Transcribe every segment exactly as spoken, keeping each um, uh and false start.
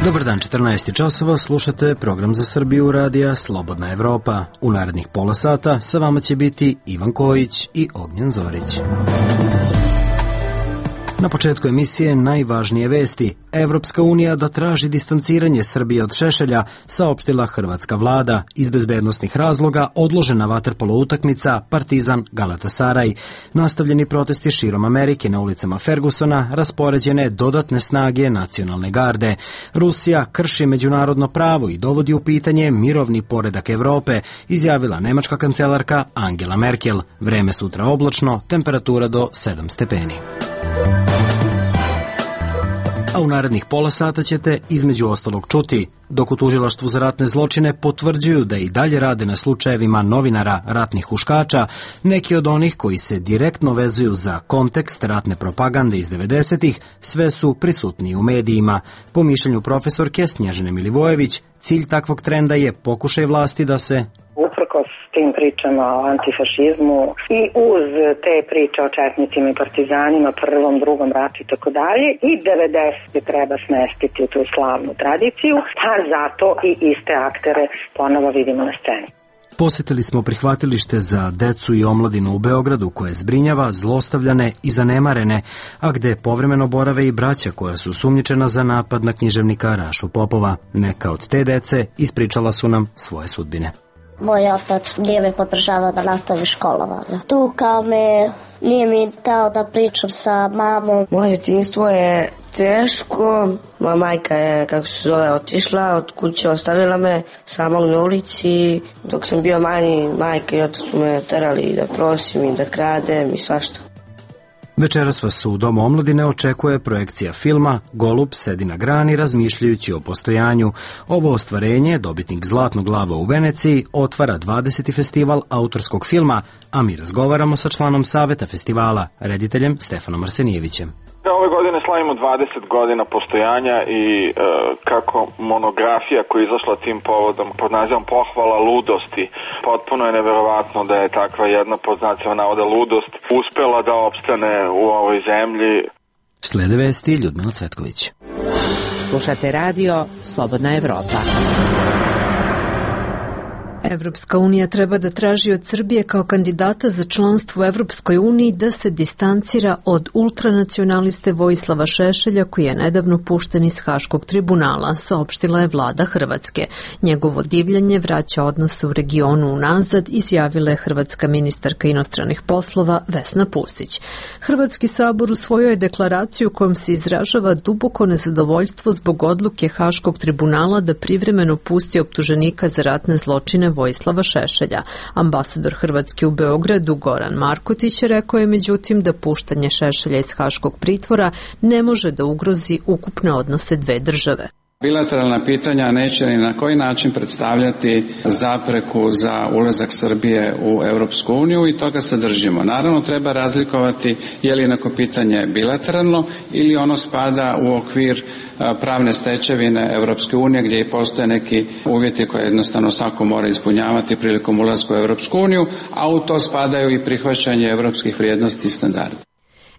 Dobar dan, četrnaest časova, slušate program za Srbiju radija Slobodna Evropa. U narednih pola sata sa vama će biti Ivan Kojić i Ognjen Zorić. Na početku emisije najvažnije vesti. Evropska unija da traži distanciranje Srbije od Šešelja, saopštila hrvatska vlada. Iz bezbednosnih razloga odložena vaterpolo utakmica Partizan Galatasaraj. Nastavljeni protesti širom Amerike na ulicama Fergusona, raspoređene dodatne snage nacionalne garde. Rusija krši međunarodno pravo i dovodi u pitanje mirovni poredak Evrope, izjavila nemačka kancelarka Angela Merkel. Vreme sutra oblačno, temperatura do sedam stepeni. A u narednih pola sata ćete između ostalog čuti, dok u tužilaštvu za ratne zločine potvrđuju da i dalje rade na slučajevima novinara ratnih huškača, neki od onih koji se direktno vezuju za kontekst ratne propagande iz devedesetih, sve su prisutniji u medijima. Po mišljenju profesorke Snježane Milivojević, cilj takvog trenda je pokušaj vlasti da se uprkos tim pričama o antifašizmu i uz te priče o četnicima i partizanima, prvom, drugom ratu i tako dalje, i devedesete treba smestiti u tu slavnu tradiciju, pa zato i iste aktere ponovo vidimo na sceni. Posetili smo prihvatilište za decu i omladinu u Beogradu koje zbrinjava zlostavljane i zanemarene, a gde povremeno borave i braća koja su sumnjičena za napad na književnika Rašu Popova. Neka od te dece ispričala su nam svoje sudbine. Moj otac nije me podržavao da nastavi školovanje. Tukao me, nije mi dao da pričam sa mamom. Moje djetinjstvo je teško. Moja majka je, kako se zove, otišla od kuće, ostavila me samog na ulici. Dok sam bio manji, majka i otac su me terali da prosim i da kradem i svašta. Večeras vas u Domu omladine očekuje projekcija filma Golub sedi na grani razmišljajući o postojanju. Ovo ostvarenje, dobitnik Zlatnog glava u Veneciji, otvara dvadeseti festival autorskog filma, a mi razgovaramo sa članom Saveta festivala, rediteljem Stefanom Arsenijevićem. Ove godine slavimo dvadeset godina postojanja i e, kako monografija koja je izašla tim povodom pod nazivom Pohvala ludosti, potpuno je neverovatno da je takva jedna pod znacima navoda ludost uspela da opstane u ovoj zemlji. Slede vesti Ljudmila Cvetković. Slušate radio Slobodna Evropa. Evropska unija treba da traži od Srbije kao kandidata za članstvo u Evropskoj uniji da se distancira od ultranacionaliste Vojislava Šešelja koji je nedavno pušten iz Haškog tribunala, saopštila je vlada Hrvatske. Njegovo divljanje vraća odnose u regionu unazad, izjavila je hrvatska ministarka inostranih poslova Vesna Pusić. Hrvatski sabor usvojio je deklaraciju kojom se izražava duboko nezadovoljstvo zbog odluke Haškog tribunala da privremeno pusti optuženika za ratne zločine Vojislava Šešelja. Ambasador Hrvatske u Beogradu Goran Markotić rekao je međutim da puštanje Šešelja iz Haškog pritvora ne može da ugrozi ukupne odnose dve države. Bilateralna pitanja neće ni na koji način predstavljati zapreku za ulazak Srbije u Europsku uniju i toga se držimo. Naravno, treba razlikovati je li neko pitanje bilateralno ili ono spada u okvir pravne stečevine Europske unije gdje i postoje neki uvjeti koje jednostavno svako mora ispunjavati prilikom ulaska u Europsku uniju, a u to spadaju i prihvaćanje europskih vrijednosti i standarda.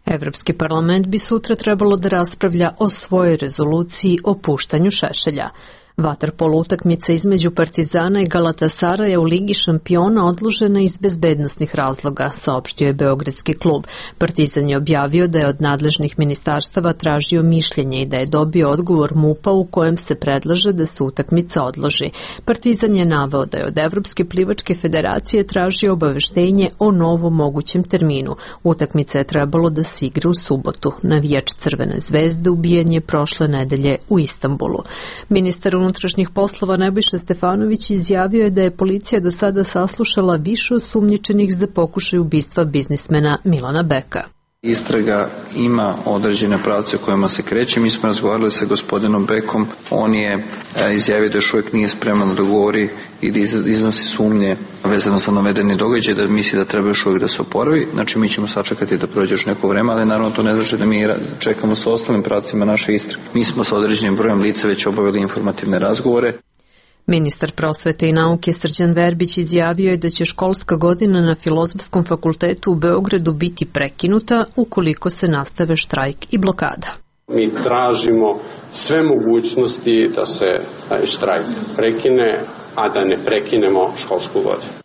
Evropski parlament bi sutra trebalo da raspravlja o svojoj rezoluciji o puštanju Šešelja. Vaterpolo utakmica između Partizana i Galatasaraja u Ligi šampiona odložena iz bezbednosnih razloga, saopštio je beogradski klub. Partizan je objavio da je od nadležnih ministarstava tražio mišljenje i da je dobio odgovor MUP-a u kojem se predlaže da se utakmica odloži. Partizan je naveo da je od Evropske plivačke federacije tražio obaveštenje o novom mogućem terminu. Utakmica je trebalo da se igra u subotu. Navijač Crvene zvezde ubijen je prošle nedelje u Istanbulu. Ministar unutrašnjih poslova Nebojša Stefanović izjavio je da je policija do sada saslušala više osumnjičenih za pokušaj ubistva biznismena Milana Beka. Istraga ima određene pravce u kojima se kreće. Mi smo razgovarali sa gospodinom Bekom. On je izjavio da još uvijek nije spreman da dogovori i da iznosi sumnje vezano za navedeni događaj, da misli da treba još uvijek da se oporavi. Znači mi ćemo sačekati da prođe još neko vreme, ali naravno to ne znači da mi čekamo sa ostalim pravcima naše istrage. Mi smo sa određenim brojem lica već obavili informativne razgovore. Ministar prosvete i nauke Srđan Verbić izjavio je da će školska godina na Filozofskom fakultetu u Beogradu biti prekinuta ukoliko se nastave štrajk i blokada. Mi tražimo sve mogućnosti da se taj štrajk prekine, a da ne prekinemo školsku godinu.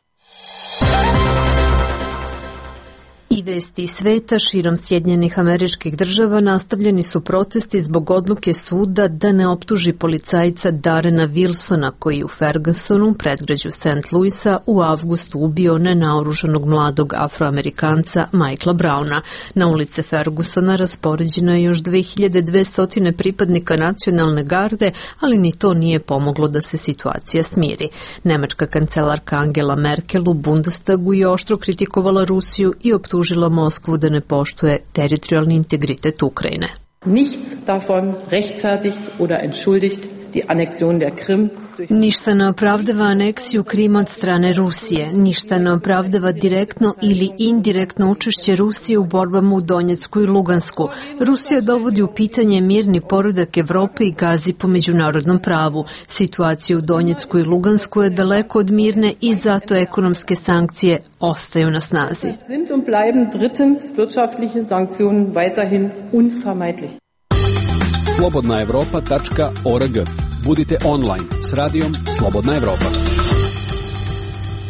I vesti sveta širom Sjedinjenih Američkih Država nastavljeni su protesti zbog odluke suda da ne optuži policajca Darrena Wilsona koji u Fergusonu, predgrađu Saint Louisa, u avgustu ubio nenaoružanog mladog Afroamerikanca Michaela Browna. Na ulice Fergusona raspoređeno je još dve hiljade dvesta pripadnika nacionalne garde, ali ni to nije pomoglo da se situacija smiri. Nemačka kancelarka Angela Merkel u Bundestagu je oštro kritikovala Rusiju i optužila optužila Moskvu da ne poštuje teritorijalni integritet Ukrajine. Nichts davon rechtfertigt oder entschuldigt die Annexion der Krim. Ništa ne opravdava aneksiju Krima od strane Rusije, ništa ne opravdava direktno ili indirektno učešće Rusije u borbama u Donjecku i Lugansku. Rusija dovodi u pitanje mirni poredak Evrope i gazi po međunarodnom pravu. Situacija u Donjecku i Lugansku je daleko od mirne i zato ekonomske sankcije ostaju na snazi. Sind und bleiben drittens wirtschaftliche Sanktionen weiterhin unvermeidlich. slobodna evropa tačka org. Budite online s radijom Slobodna Evropa.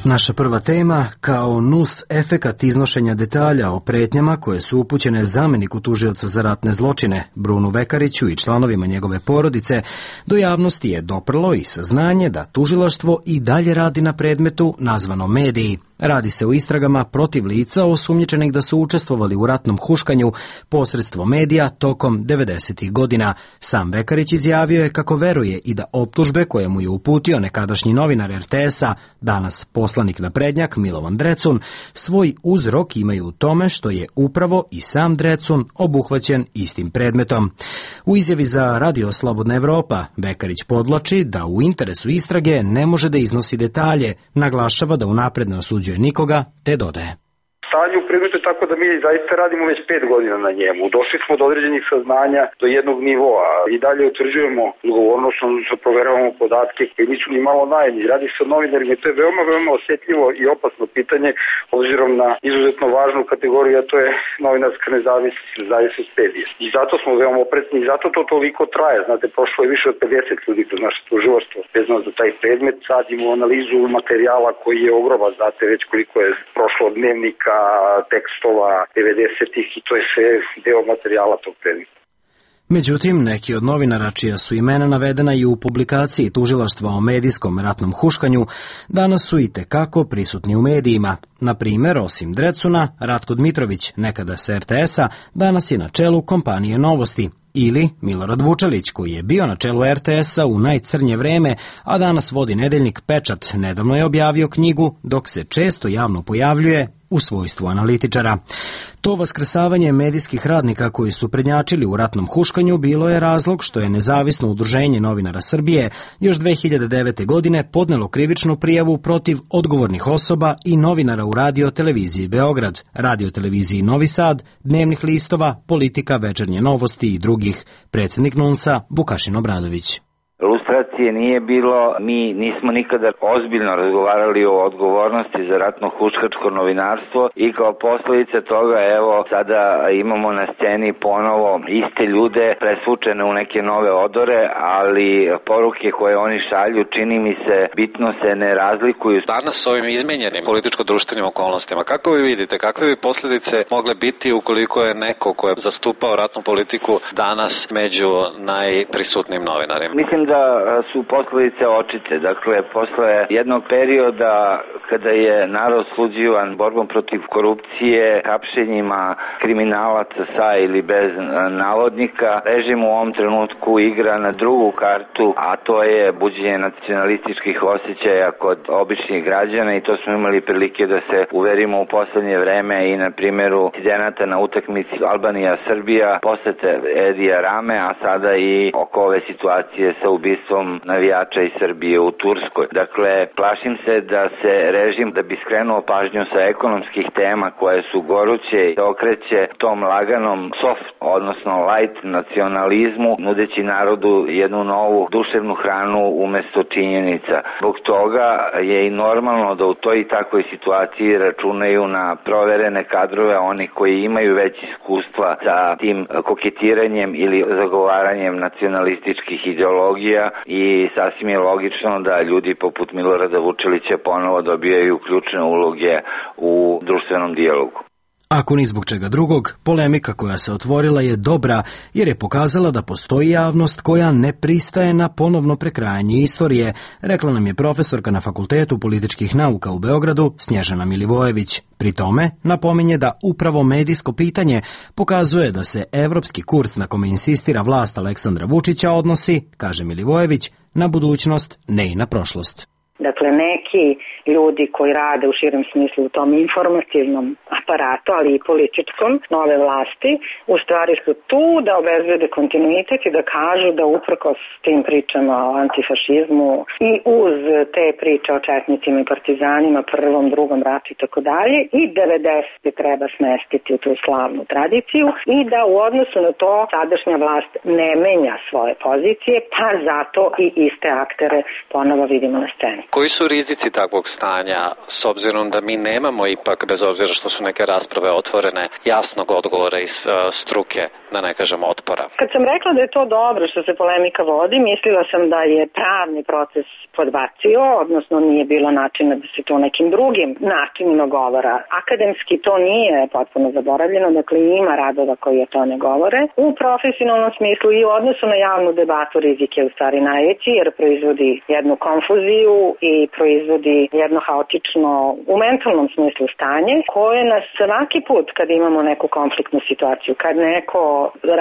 Naša prva tema, kao nus efekat iznošenja detalja o pretnjama koje su upućene zameniku tužioca za ratne zločine, Brunu Vekariću i članovima njegove porodice, do javnosti je doprlo i saznanje da tužilaštvo i dalje radi na predmetu nazvano mediji. Radi se o istragama protiv lica osumnjičenih da su učestvovali u ratnom huškanju posredstvom medija tokom devedesetih godina. Sam Vekarić izjavio je kako veruje i da optužbe koje mu je uputio nekadašnji novinar er te esa, danas poslanik naprednjak Milovan Drecun, svoj uzrok imaju u tome što je upravo i sam Drecun obuhvaćen istim predmetom. U izjavi za Radio Slobodna Evropa Vekarić podvlači da u interesu istrage ne može da iznosi detalje, naglašava da unapred ne osuđuje nikoga, te dodaje. Stanje u predmetu je tako da mi zaista radimo već pet godina na njemu. Došli smo do određenih saznanja do jednog nivoa i dalje utvrđujemo odgovornost, proveravamo podatke koji nisu ni malo najni. Radi se o novinarima i to je veoma, veoma osjetljivo i opasno pitanje obzirom na izuzetno važnu kategoriju, a to je novinarska nezavisnost, nezavisnost medija. I zato smo veoma oprezni i zato to toliko traje. Znate, prošlo je više od pedeset ljudi kroz naše tužilaštvo vezano za taj predmet. Sad imamo analizu materijala koji je ogroman, znate već koliko je prošlo od dnevnika, tekstova devedesetih i to je sve deo materijala tog predmeta. Međutim, neki od novinara čija su imena navedena i u publikaciji tužilaštva o medijskom ratnom huškanju danas su i tekako prisutni u medijima. Na primjer, osim Drecuna, Ratko Dmitrović, nekada sa er te esa, danas je na čelu kompanije Novosti. Ili Milorad Vučelić, koji je bio na čelu er te esa u najcrnje vreme, a danas vodi nedeljnik Pečat, nedavno je objavio knjigu, dok se često javno pojavljuje u svojstvu analitičara. To vaskrsavanje medijskih radnika koji su prednjačili u ratnom huškanju bilo je razlog što je Nezavisno udruženje novinara Srbije još dve hiljade devete. godine podnelo krivičnu prijavu protiv odgovornih osoba i novinara u Radio-televiziji Beograd, Radio-televiziji Novi Sad, dnevnih listova, Politika, Večernje novosti i drugih. Predsjednik NUNS-a Vukašin Obradović. Lustracije nije bilo, mi nismo nikada ozbiljno razgovarali o odgovornosti za ratno huškačko novinarstvo i kao posljedica toga evo sada imamo na sceni ponovo iste ljude presvučene u neke nove odore, ali poruke koje oni šalju čini mi se bitno se ne razlikuju. Danas s ovim izmenjenim političko-društvenim okolnostima, kako vi vidite, kakve bi posljedice mogle biti ukoliko je neko ko je zastupao ratnu politiku danas među najprisutnijim novinarima? Mislim da su posljedice očite. Dakle, posle jednog perioda kada je narod sluđivan borbom protiv korupcije, hapšenjima kriminalaca sa ili bez navodnika, režim u ovom trenutku igra na drugu kartu, a to je buđenje nacionalističkih osjećaja kod običnih građana i to smo imali prilike da se uverimo u poslednje vreme i na primjeru incidenata na utakmici Albanija-Srbija, posete Edija Rame, a sada i oko ove situacije sa ubistvom navijača iz Srbije u Turskoj. Dakle, plašim se da se režim, da bi skrenuo pažnju sa ekonomskih tema koje su goruće, okreće tom laganom soft, odnosno light nacionalizmu, nudeći narodu jednu novu duševnu hranu umesto činjenica. Zbog toga je i normalno da u toj i takvoj situaciji računaju na proverene kadrove, oni koji imaju već iskustva sa tim koketiranjem ili zagovaranjem nacionalističkih ideologija i sasvim je logično da ljudi poput Milorada Vučelića ponovo dobijaju ključne uloge u društvenom dijalogu. Ako ni zbog čega drugog, polemika koja se otvorila je dobra jer je pokazala da postoji javnost koja ne pristaje na ponovno prekrajanje istorije, rekla nam je profesorka na Fakultetu političkih nauka u Beogradu Snježana Milivojević. Pri tome napominje da upravo medijsko pitanje pokazuje da se evropski kurs na kome insistira vlast Aleksandra Vučića odnosi, kaže Milivojević, na budućnost, ne i na prošlost. Dakle, neki ljudi koji rade u širem smislu u tom informativnom aparatu, ali i političkom nove vlasti, u stvari su tu da obezbede kontinuitet i da kažu da uprkos tim pričama o antifašizmu i uz te priče o četnicima i partizanima, prvom, drugom ratu i tako dalje, i devedesete treba smestiti u tu slavnu tradiciju i da u odnosu na to sadašnja vlast ne menja svoje pozicije, pa zato i iste aktere ponovo vidimo na sceni. Koji su rizici takvog stanja, s obzirom da mi nemamo ipak, bez obzira što su neke rasprave otvorene, jasnog odgovora iz uh, struke, da ne kažem otpora? Kad sam rekla da je to dobro što se polemika vodi, mislila sam da je pravni proces podbacio, odnosno nije bilo načina da se to nekim drugim načinima govora. Akademski to nije potpuno zaboravljeno, dakle ima radova koji o to ne govore. U profesionalnom smislu i u odnosu na javnu debatu rizik je u stvari najveći jer proizvodi jednu konfuziju i proizvodi jedno haotično u mentalnom smislu stanje koje nas svaki put kad imamo neku konfliktnu situaciju, kad neko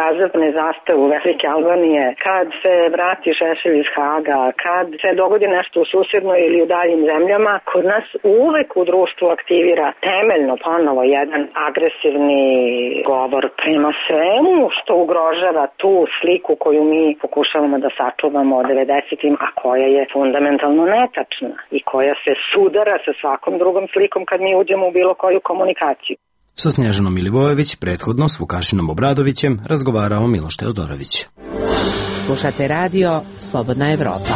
razvrne zastavu Velike Albanije, kad se vrati Šešelj iz Haga, kad se dogodi nešto u susjednoj ili u daljim zemljama, kod nas uvek u društvu aktivira temeljno ponovo jedan agresivni govor prema svemu što ugrožava tu sliku koju mi pokušavamo da sačuvamo od devedesetim, a koja je fundamentalno netačna i koja se sudara sa svakom drugom slikom kad mi uđemo u bilo koju komunikaciju. Sa Snježanom Milivojević, prethodno s Vukašinom Obradovićem, razgovarao Miloš Teodorović. Slušate radio Slobodna Evropa.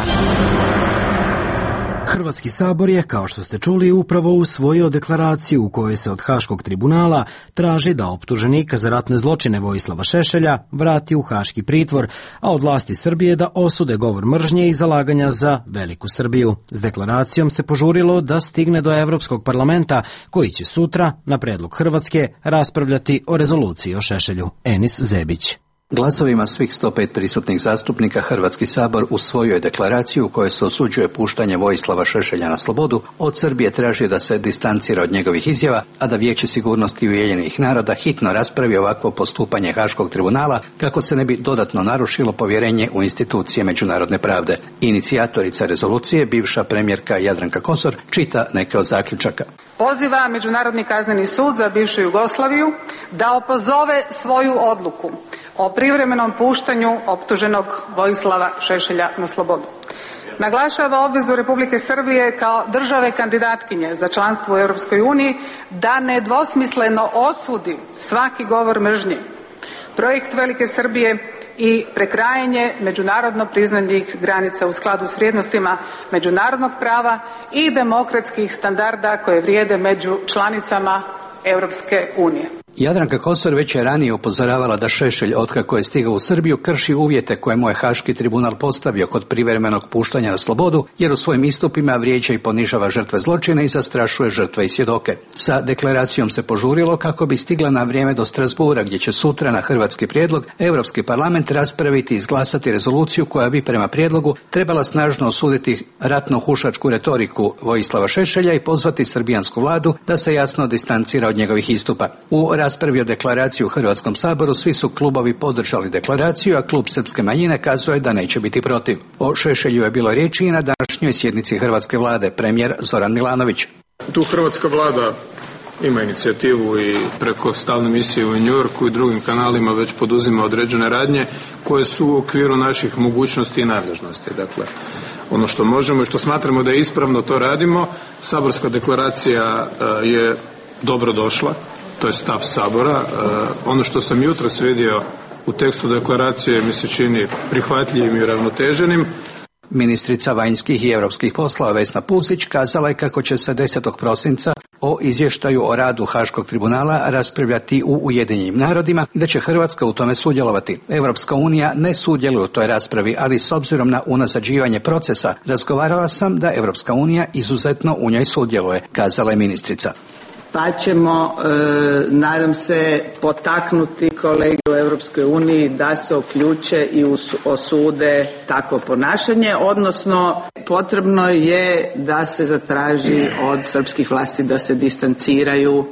Hrvatski sabor je, kao što ste čuli, upravo usvojio deklaraciju u kojoj se od Haškog tribunala traži da optuženika za ratne zločine Vojislava Šešelja vrati u haški pritvor, a od vlasti Srbije da osude govor mržnje i zalaganja za veliku Srbiju. S deklaracijom se požurilo da stigne do Evropskog parlamenta, koji će sutra, na predlog Hrvatske, raspravljati o rezoluciji o Šešelju. Enis Zebić. Glasovima svih sto pet prisutnih zastupnika Hrvatski sabor usvojio je deklaraciju u kojoj se osuđuje puštanje Vojislava Šešelja na slobodu, od Srbije traži da se distancira od njegovih izjava, a da Vijeće sigurnosti Ujedinjenih naroda hitno raspravi ovakvo postupanje Haškog tribunala kako se ne bi dodatno narušilo povjerenje u institucije međunarodne pravde. Inicijatorica rezolucije, bivša premijerka Jadranka Kosor, čita neke od zaključaka. Poziva Međunarodni kazneni sud za bivšu Jugoslaviju da opozove svoju odluku o privremenom puštanju optuženog Vojislava Šešelja na slobodu. Naglašava obvezu Republike Srbije kao države kandidatkinje za članstvo u Europskoj uniji da nedvosmisleno osudi svaki govor mržnje, projekt Velike Srbije i prekrajanje međunarodno priznanih granica u skladu s vrijednostima međunarodnog prava i demokratskih standarda koje vrijede među članicama Europske unije. Jadranka Kosor već je ranije upozoravala da Šešelj, otkako je stigao u Srbiju, krši uvjete koje mu je Haški tribunal postavio kod privremenog puštanja na slobodu, jer u svojim istupima vrijeđa i ponižava žrtve zločina i zastrašuje žrtve i svjedoke. Sa deklaracijom se požurilo kako bi stigla na vrijeme do Strasbura, gdje će sutra na hrvatski prijedlog Europski parlament raspraviti i izglasati rezoluciju koja bi prema prijedlogu trebala snažno osuditi ratno-hušačku retoriku Vojislava Šešelja i pozvati srbijansku vladu da se jasno distancira od njegovih istupa. U raspravi o deklaraciji u Hrvatskom saboru svi su klubovi podržali deklaraciju, a klub Srpske manjine kazuje da neće biti protiv. O Šešelju je bilo riječi i na današnjoj sjednici Hrvatske vlade, premijer Zoran Milanović. Tu hrvatska vlada ima inicijativu i preko stalne misije u New Yorku i drugim kanalima već poduzima određene radnje koje su u okviru naših mogućnosti i nadležnosti. Dakle, ono što možemo i što smatramo da je ispravno, to radimo. Saborska deklaracija je dobro došla, to je stav Sabora. Ono što sam jutros vidio u tekstu deklaracije mi se čini prihvatljivim i ravnoteženim. Ministrica vanjskih i europskih poslova Vesna Pusić kazala je kako će se desetog prosinca o izvještaju o radu Haškog tribunala raspravljati u Ujedinjenim narodima i da će Hrvatska u tome sudjelovati. Europska unija ne sudjeluje u toj raspravi, ali s obzirom na unazađivanje procesa razgovarala sam da Europska unija izuzetno u njoj sudjeluje, kazala je ministrica. Pa ćemo, e, nadam se, potaknuti kolege u Europskoj uniji da se uključe i osude takvo ponašanje, odnosno potrebno je da se zatraži od srpskih vlasti da se distanciraju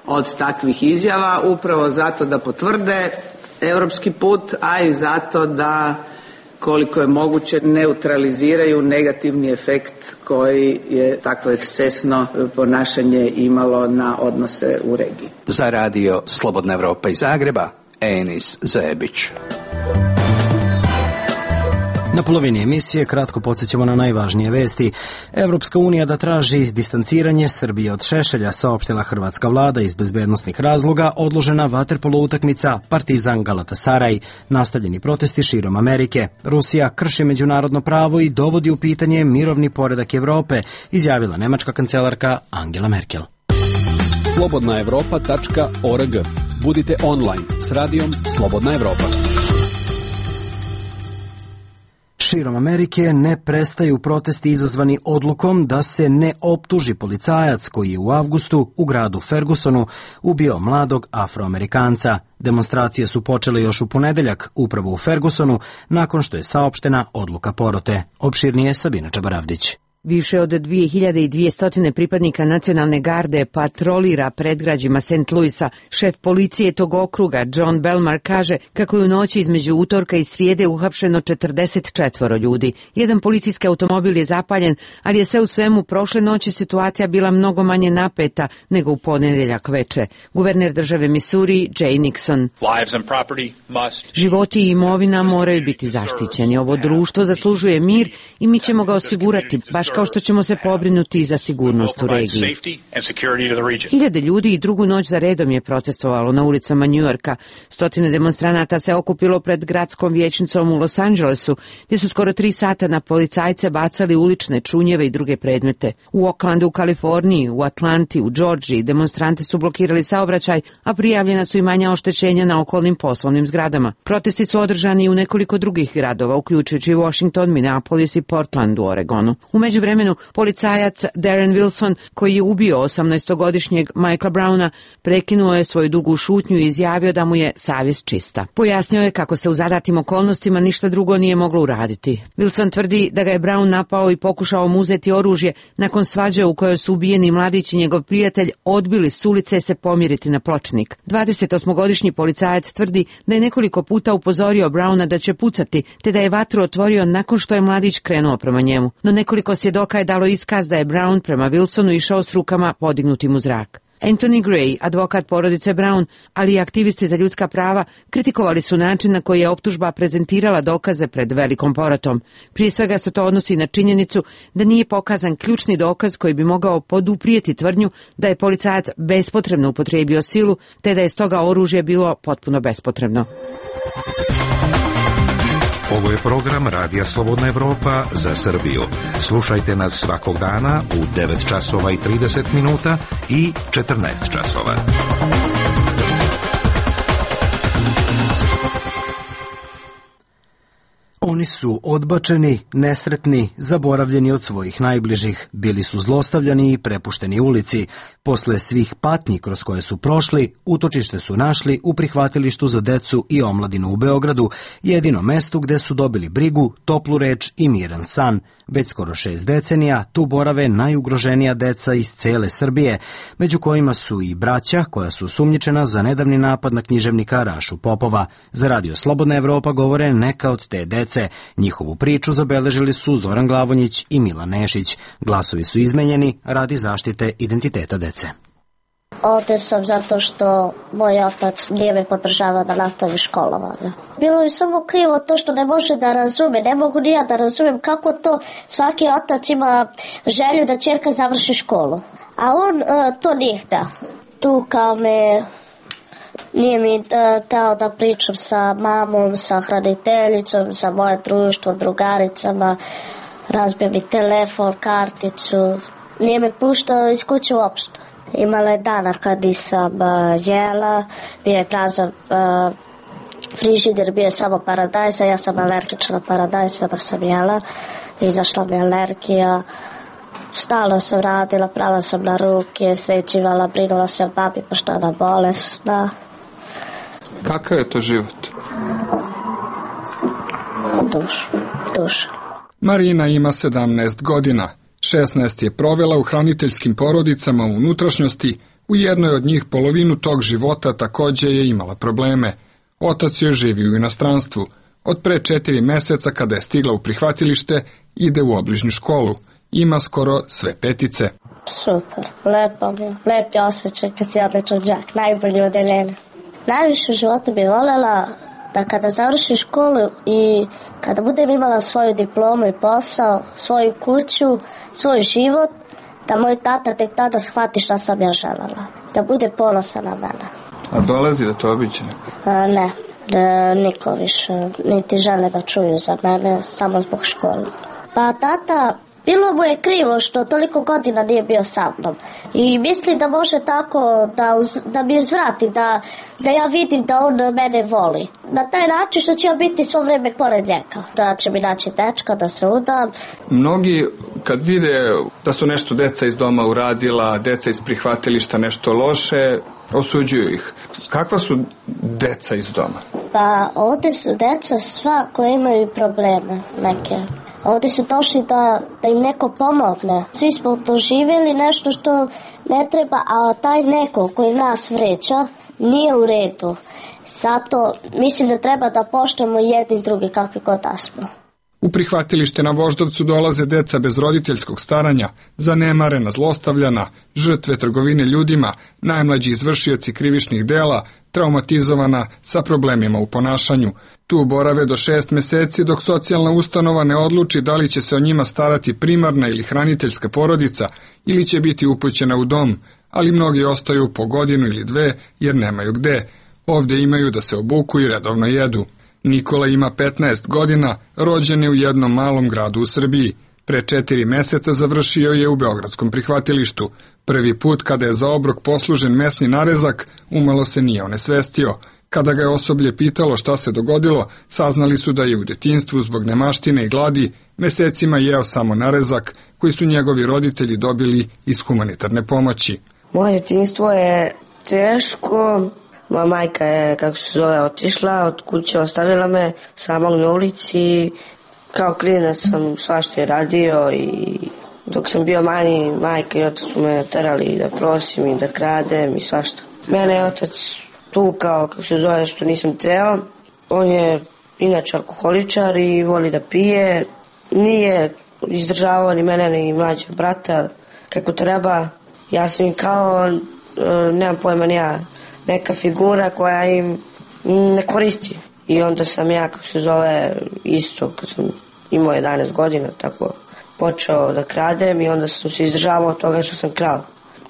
od takvih izjava, upravo zato da potvrde europski put, a i zato da koliko je moguće neutraliziraju negativni efekt koji je takvo ekscesno ponašanje imalo na odnose u regiji. Za radio Slobodna Evropa iz Zagreba, Enis Zebić. Na polovini emisije kratko podsjećamo na najvažnije vesti. Evropska unija da traži distanciranje Srbije od Šešelja, saopštila hrvatska vlada iz bezbednosnih razloga, odložena vaterpolo utakmica Partizan Galatasaraj, nastavljeni protesti širom Amerike. Rusija krši međunarodno pravo i dovodi u pitanje mirovni poredak Evrope, izjavila nemačka kancelarka Angela Merkel. slobodna evropa tačka org. Budite online s radijom Slobodna Evropa. Širom Amerike ne prestaju protesti izazvani odlukom da se ne optuži policajac koji je u avgustu u gradu Fergusonu ubio mladog Afroamerikanca. Demonstracije su počele još u ponedeljak upravo u Fergusonu nakon što je saopštena odluka porote. Opširnije Sabina Čabaravdić. Više od dvije hiljade dvjesto pripadnika nacionalne garde patrolira predgrađima Saint Louisa. Šef policije tog okruga, John Belmar, kaže kako je u noći između utorka i srijede uhapšeno četrdeset četvoro ljudi. Jedan policijski automobil je zapaljen, ali je sve u svemu prošle noći situacija bila mnogo manje napeta nego u ponedeljak veče. Guverner države Missouri, Jay Nixon. Životi i imovina moraju biti zaštićeni. Ovo društvo zaslužuje mir i mi ćemo ga osigurati, baš kao što ćemo se pobrinuti za sigurnost u regiji. Hiljade ljudi i drugu noć za redom je protestovalo na ulicama Njujorka. Stotine demonstranata se okupilo pred gradskom vijećnicom u Los Angelesu, gdje su skoro tri sata na policajce bacali ulične čunjeve i druge predmete. U Oaklandu u Kaliforniji, u Atlanti, u Džordžiji demonstranti su blokirali saobraćaj, a prijavljena su i manja oštećenja na okolnim poslovnim zgradama. Protesti su održani i u nekoliko drugih gradova, uključujući Washington, Minneapolis i Portland u Oregonu. U međuvremenu, policajac Darren Wilson, koji je ubio osamnaestogodišnjeg Michaela Browna, prekinuo je svoju dugu šutnju i izjavio da mu je savjest čista. Pojasnio je kako se u zadatim okolnostima ništa drugo nije moglo uraditi. Wilson tvrdi da ga je Brown napao i pokušao mu uzeti oružje nakon svađe u kojoj su ubijeni mladić i njegov prijatelj odbili s ulice se pomiriti na pločnik. dvadesetosmogodišnji policajac tvrdi da je nekoliko puta upozorio Browna da će pucati, te da je vatru otvorio nakon što je mladić krenuo prema njemu. No nekoliko svjedoka je dalo iskaz da je Brown prema Wilsonu išao s rukama podignutim u zrak. Anthony Gray, advokat porodice Brown, ali i aktivisti za ljudska prava, kritikovali su način na koji je optužba prezentirala dokaze pred velikom porotom. Prije svega se to odnosi na činjenicu da nije pokazan ključni dokaz koji bi mogao poduprijeti tvrdnju da je policajac bespotrebno upotrijebio silu, te da je stoga oružje bilo potpuno bespotrebno. Ovo je program Radija Slobodna Evropa za Srbiju. Slušajte nas svakog dana u devet časova i trideset minuta i četrnaest časova. Oni su odbačeni, nesretni, zaboravljeni od svojih najbližih, bili su zlostavljani i prepušteni ulici. Posle svih patnji kroz koje su prošli, utočište su našli u prihvatilištu za decu i omladinu u Beogradu, jedino mestu gde su dobili brigu, toplu reč i miran san. Već skoro šest decenija tu borave najugroženija deca iz cele Srbije, među kojima su i braća koja su sumnjičena za nedavni napad na književnika Rašu Popova. Za Radio Slobodna Evropa govore neka od te dece. Njihovu priču zabeležili su Zoran Glavonjić i Milan Nešić. Glasovi su izmenjeni radi zaštite identiteta dece. Ovdje sam zato što moj otac nije me podržavao da nastavi školovanje. Bilo je samo krivo to što ne može da razume, ne mogu ni ja da razumem kako to svaki otac ima želju da ćerka završi školu. A on uh, to nije htio. Tu kao me, nije mi uh, teo da pričam sa mamom, sa hraniteljicom, sa moje društvo, drugaricama, razbio mi telefon, karticu, nije me puštao iz kuće uopšte. Imala je dana kad nisam uh, jela, bio je prazan uh, frižider, bio je samo paradajza, ja sam alergična na paradajz, sve da sam jela, izašla mi alergija, stalno sam radila, prala sam na ruke, svećivala, brinula se o babi pošto je ona bolesna. Kakav je to život? Duš, duš. Marina ima sedamnaest godina. šesnaest je provela u hraniteljskim porodicama u unutrašnjosti, u jednoj od njih polovinu tog života takođe je imala probleme. Otac joj živi u inostranstvu. Od pre četiri meseca kada je stigla u prihvatilište, ide u obližnju školu. Ima skoro sve petice. Super, lepo mi je, lepi osjećaj kad si odličan đak, najbolji odeljenje. Najviše u životu bi voljela da kada završim školu i kada budem imala svoju diplomu i posao, svoju kuću, svoj život, da moj tata tek tada shvati šta sam ja želela. Da bude ponosan na mene. A dolazi da to obiđe? A, ne, da niko više niti žele da čuju za mene, samo zbog škole. Pa tata, bilo mu je krivo što toliko godina nije bio sa mnom. I misli da može tako da, uz, da mi uzvrati, da, da ja vidim da on mene voli. Na taj način što će ja biti svo vreme pored njega. Da će mi naći dečka, da se udam. Mnogi kad vide da su nešto deca iz doma uradila, deca iz prihvatilišta nešto loše, osuđuju ih. Kakva su deca iz doma? Pa ovdje su deca sva koje imaju probleme neke. Ovdje su došli da, da im neko pomogne. Svi smo doživjeli nešto što ne treba, a taj neko koji nas vređa nije u redu. Zato mislim da treba da poštujemo jedni drugi kakvi god da smo. U prihvatilište na Voždovcu dolaze deca bez roditeljskog staranja, zanemarena, zlostavljana, žrtve trgovine ljudima, najmlađi izvršioci krivičnih dela, traumatizovana sa problemima u ponašanju. Tu borave do šest meseci dok socijalna ustanova ne odluči da li će se o njima starati primarna ili hraniteljska porodica ili će biti upućena u dom, ali mnogi ostaju po godinu ili dve jer nemaju gde. Ovdje imaju da se obuku i redovno jedu. Nikola ima petnaest godina, rođen je u jednom malom gradu u Srbiji. Pre četiri meseca završio je u beogradskom prihvatilištu. Prvi put kada je za obrok poslužen mesni narezak, umalo se nije onesvestio. Kada ga je osoblje pitalo šta se dogodilo, saznali su da je u detinjstvu zbog nemaštine i gladi mesecima jeo samo narezak koji su njegovi roditelji dobili iz humanitarne pomoći. Moje detinjstvo je teško. Moja majka je, kako se zove, otišla, od kuće ostavila me samog na ulici. Kao klinac sam svašta radio i dok sam bio manji, majka i otac su me terali da prosim i da kradem i svašta. Mene je otac tukao, kako se zove, što nisam teo. On je inače alkoholičar i voli da pije. Nije izdržavao ni mene ni mlađeg brata kako treba. Ja sam im kao, nemam pojma ni ja, neka figura koja im ne koristi. I onda sam ja, kako se zove, isto, kad sam imao jedanaest godina, tako počeo da kradem i onda sam se izdržavao od toga što sam krao.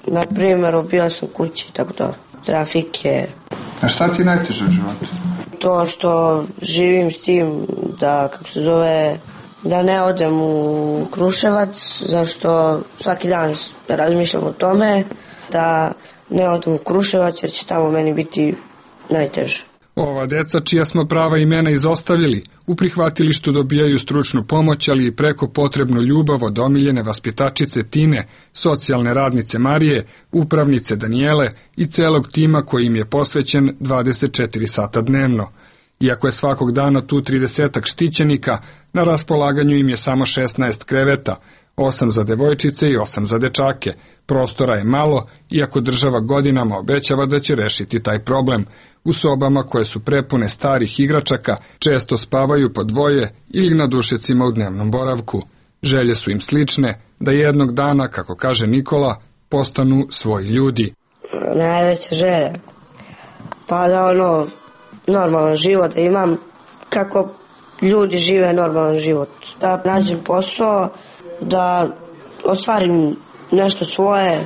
Na primjer, ubio sam kući, tako da, trafike. A šta ti najteže u životu? To što živim s tim da, kako se zove, da ne odem u Kruševac, zašto svaki dan razmišljam o tome, da ne odem u Kruševac jer će tamo meni biti najteže. Ova deca, čija smo prava imena izostavili, u prihvatilištu dobijaju stručnu pomoć, ali i preko potrebnu ljubav od omiljene vaspitačice Tine, socijalne radnice Marije, upravnice Danijele i celog tima koji im je posvećen dvadeset četiri sata dnevno. Iako je svakog dana tu tridesetak štićenika, na raspolaganju im je samo šesnaest kreveta, osam za devojčice i osam za dečake. Prostora je malo, iako država godinama obećava da će rešiti taj problem. U sobama koje su prepune starih igračaka često spavaju po dvoje ili na dušecima u dnevnom boravku. Želje su im slične, da jednog dana, kako kaže Nikola, postanu svoji ljudi. Najveća želja. Pa da ono, normalan život da imam, kako ljudi žive normalan život. Da nađem posao, da ostvarim nešto svoje,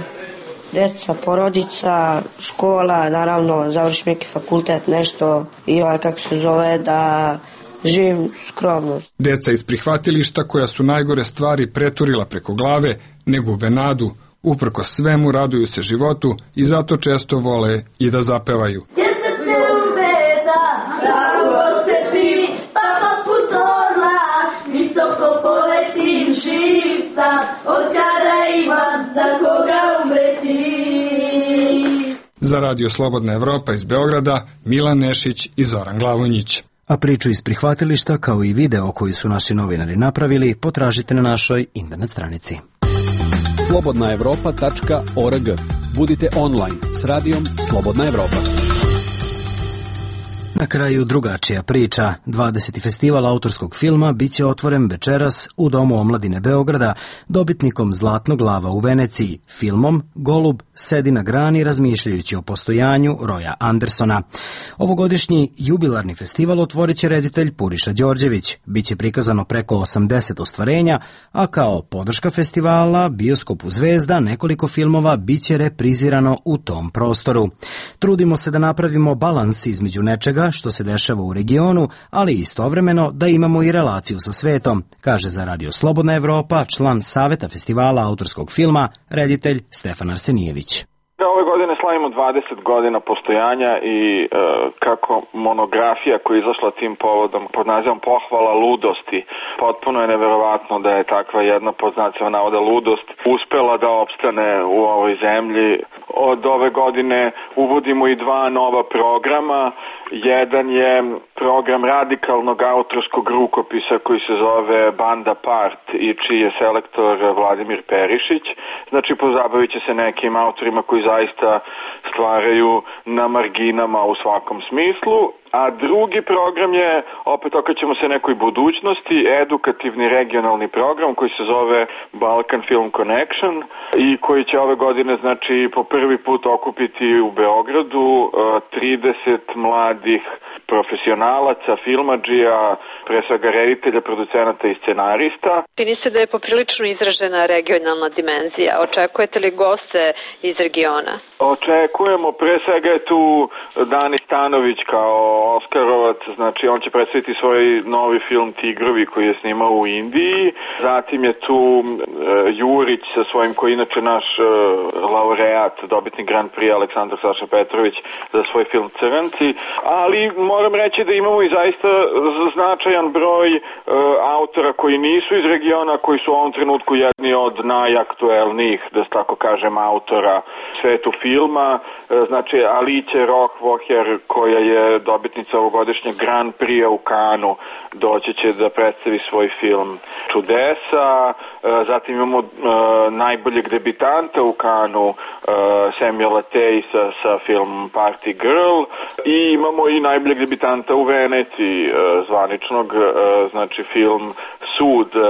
deca, porodica, škola, naravno završim neki fakultet, nešto i ovaj kako se zove, da živim skromno. Deca iz prihvatilišta koja su najgore stvari preturila preko glave, ne gube nadu, uprko svemu raduju se životu i zato često vole i da zapevaju. Visoko poletim, živ sam, od kada imam za koga umreti. Za Radio Slobodna Evropa iz Beograda, Milan Nešić i Zoran Glavonjić. A priču iz prihvatilišta, kao i video koji su naši novinari napravili, potražite na našoj internet stranici. slobodna evropa tačka org. Budite online s radijom Slobodna Evropa. Na kraju drugačija priča. dvadeseti festival autorskog filma biće otvoren večeras u Domu omladine Beograda dobitnikom Zlatnog lava u Veneciji, filmom Golub sedi na grani razmišljajući o postojanju Roya Andersona. Ovogodišnji jubilarni festival otvorit će reditelj Puriša Đorđević. Biće prikazano preko osamdeset ostvarenja, a kao podrška festivala Bioskopu Zvezda nekoliko filmova biće reprizirano u tom prostoru. Trudimo se da napravimo balans između nečega što se dešava u regionu, ali istovremeno da imamo i relaciju sa svetom, kaže za Radio Slobodna Evropa član Saveta festivala autorskog filma, reditelj Stefan Arsenijević. Ove godine slavimo dvadeset godina postojanja i e, kako monografija koja je izašla tim povodom pod nazivom Pohvala ludosti, potpuno je neverovatno da je takva jedna pod znacima navoda ludost uspela da opstane u ovoj zemlji. Od ove godine uvodimo i dva nova programa. Jedan je program radikalnog autorskog rukopisa koji se zove Banda Part i čiji je selektor Vladimir Perišić. Znači pozabavit će se nekim autorima koji zaista stvaraju na marginama u svakom smislu. A drugi program je, opet okrećemo se nekoj budućnosti, edukativni regionalni program koji se zove Balkan Film Connection i koji će ove godine, znači, po prvi put okupiti u Beogradu trideset mladih profesionalaca, filmadžija, pre svega reditelja, producenata i scenarista. Čini se da je poprilično izražena regionalna dimenzija. Očekujete li goste iz regiona? Očekujemo, pre svega je tu Dani Stanović kao Oskarovac, znači on će predstaviti svoj novi film Tigrovi koji je snimao u Indiji. Zatim je tu uh, Jurić sa svojim, koji je inače naš uh, laureat, dobitnik Grand Prix Aleksandar Saša Petrović za svoj film Crnci, ali moram reći da imamo i zaista značajan broj uh, autora koji nisu iz regiona, koji su u ovom trenutku jedni od najaktuelnijih, da se tako kažem, autora svetu filma, uh, znači Alice Rohvoher koja je dobitnica ovogodišnjeg Grand Prix u Kanu, doći će da predstavi svoj film Čudesa. Zatim imamo uh, najboljeg debitanta u Kanu, uh, Samuela Tay sa, sa filmom Party Girl, i imamo i najboljeg debitanta u Veneciji, uh, zvaničnog, uh, znači film Sud uh,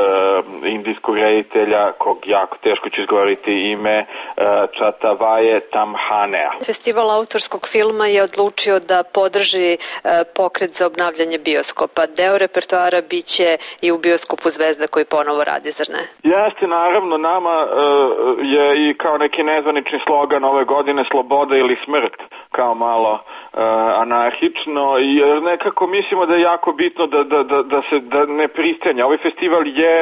indijskog reditelja, kog jako teško ću izgovoriti ime, uh, Čatavaje Tamhanea. Festival autorskog filma je odlučio da podrži uh, pokret za obnavljanje bioskopa. Deo repertoara biće i u Bioskopu Zvezda koji ponovo radi, zar ne? Jeste, naravno, nama uh, je i kao neki nezvanični slogan ove godine sloboda ili smrt, kao malo uh, anarhično, i nekako mislimo da je jako bitno da, da, da, da se da ne pristanja. Ovaj festival je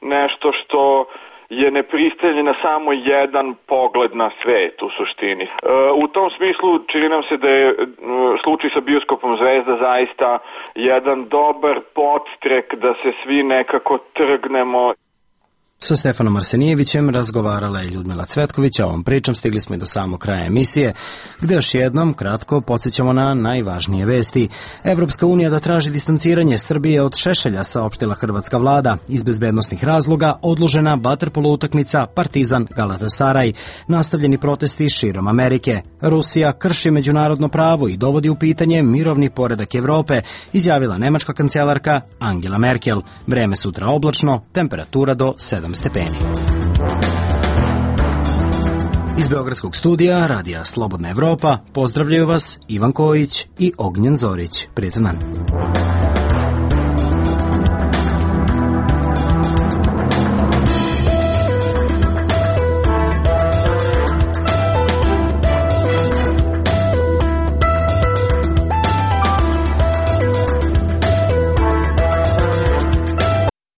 nešto što je nepristajanje na samo jedan pogled na svet u suštini. E, u tom smislu čini nam se da je e, slučaj sa Bioskopom Zvezda zaista jedan dobar podstrek da se svi nekako trgnemo. Sa Stefanom Arsenijevićem razgovarala je Ljudmila Cvetković, a ovom pričom stigli smo i do samog kraja emisije, gde još jednom kratko podsjećamo na najvažnije vesti. Evropska unija da traži distanciranje Srbije od Šešelja, saopštila hrvatska vlada. Iz bezbednosnih razloga odložena vaterpolo utakmica Partizan Galatasaraj. Nastavljeni protesti širom Amerike. Rusija krši međunarodno pravo i dovodi u pitanje mirovni poredak Evrope, izjavila nemačka kancelarka Angela Merkel. Vreme sutra oblačno, temperatura do sedam stepeni. Iz Beogradskog studija Radija Slobodna Evropa pozdravljaju vas Ivan Kojić i Ognjen Zorić. Prijetan dan.